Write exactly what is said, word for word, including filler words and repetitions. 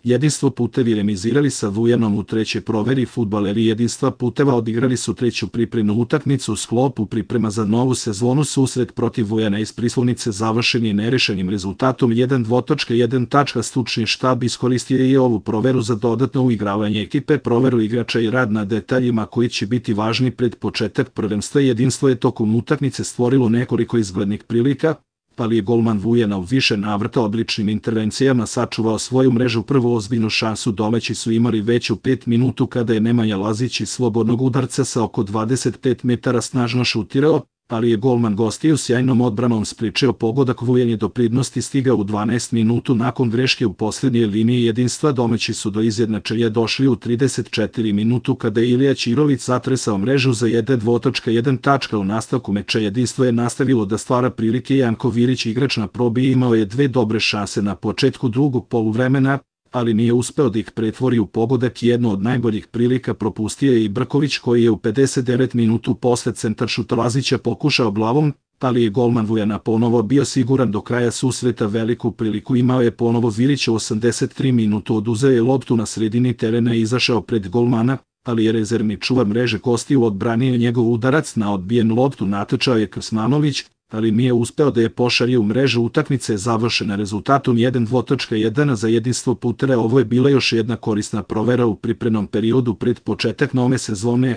Jedinstvo putevi remizirali sa Vujanom u trećoj proveri. Fudbaleri Jedinstva puteva odigrali su treću pripremnu utakmicu u sklopu priprema za novu sezonu. Susret protiv Vujana iz Prislunice završen je nerešenim rezultatom jedan jedan. Stručni štab iskoristio je i ovu proveru za dodatno uigravanje ekipe, proveru igrača i rad na detaljima koji će biti važni pred početak prvenstva. Jedinstvo je tokom utakmice stvorilo nekoliko izglednih prilika, ali je golman Vujana u više navrata odličnim intervencijama sačuvao svoju mrežu. Prvu ozbiljnu šansu domaći su imali već u pet minutu kada je Nemanja Lazić iz slobodnog udarca sa oko dvadeset pet metara snažno šutirao, ali je golman gostiju sjajnom odbranom sprečio pogodak. Vujan je do prednosti stigao u dvanaestom minutu nakon greške u posljednjoj liniji Jedinstva. Domaći su do izjednačenja došli u trideset četvrtoj minutu kada je Ilija Ćirović zatresao mrežu za jedan jedan. U nastavku meča Jedinstvo je nastavilo da stvara prilike. Janko Virić, igrač na probi, imao je dve dobre šanse na početku drugog poluvremena, ali nije uspeo da ih pretvori u pogodak. Jedno od najboljih prilika propustio je i Brković, koji je u pedeset devetoj minutu posle centaršuta Lazića pokušao glavom, ali je golman Vujana ponovo bio siguran do kraja susreta. Veliku priliku imao je ponovo Virić u osamdeset trećoj minutu, oduzeo je loptu na sredini terena i izašao pred golmana, ali je rezervni čuvar mreže gostiju odbranio njegov udarac. Na odbijen loptu natrčao je Krsmanović, ali nije uspeo da je pošalje u mrežu. Utakmica je završena rezultatom jedan jedan za Jedinstvo putera. Ovo je bila još jedna korisna provera u pripremnom periodu pred početak nove sezone.